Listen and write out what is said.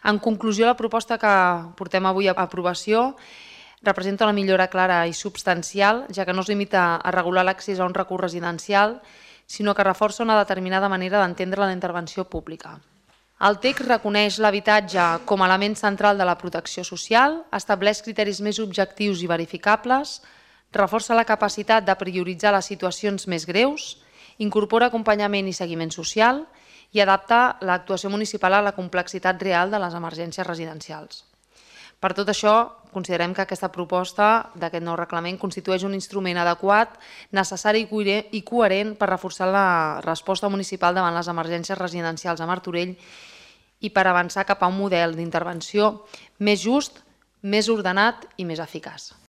En conclusió, la proposta que portem avui a aprovació representa una millora clara i substancial, ja que no es limita a regular l'accés a un recurs residencial, sinó que reforça una determinada manera d'entendre la intervenció pública. El text reconeix l'habitatge com a element central de la protecció social, estableix criteris més objectius i verificables, reforça la capacitat de prioritzar les situacions més greus, incorpora acompanyament i seguiment social i adapta l'actuació municipal a la complexitat real de les emergències residencials. Per tot això, considerem que aquesta proposta d'aquest nou reglament constitueix un instrument adequat, necessari i coherent per reforçar la resposta municipal davant les emergències residencials a Martorell i per avançar cap a un model d'intervenció més just, més ordenat i més eficaç.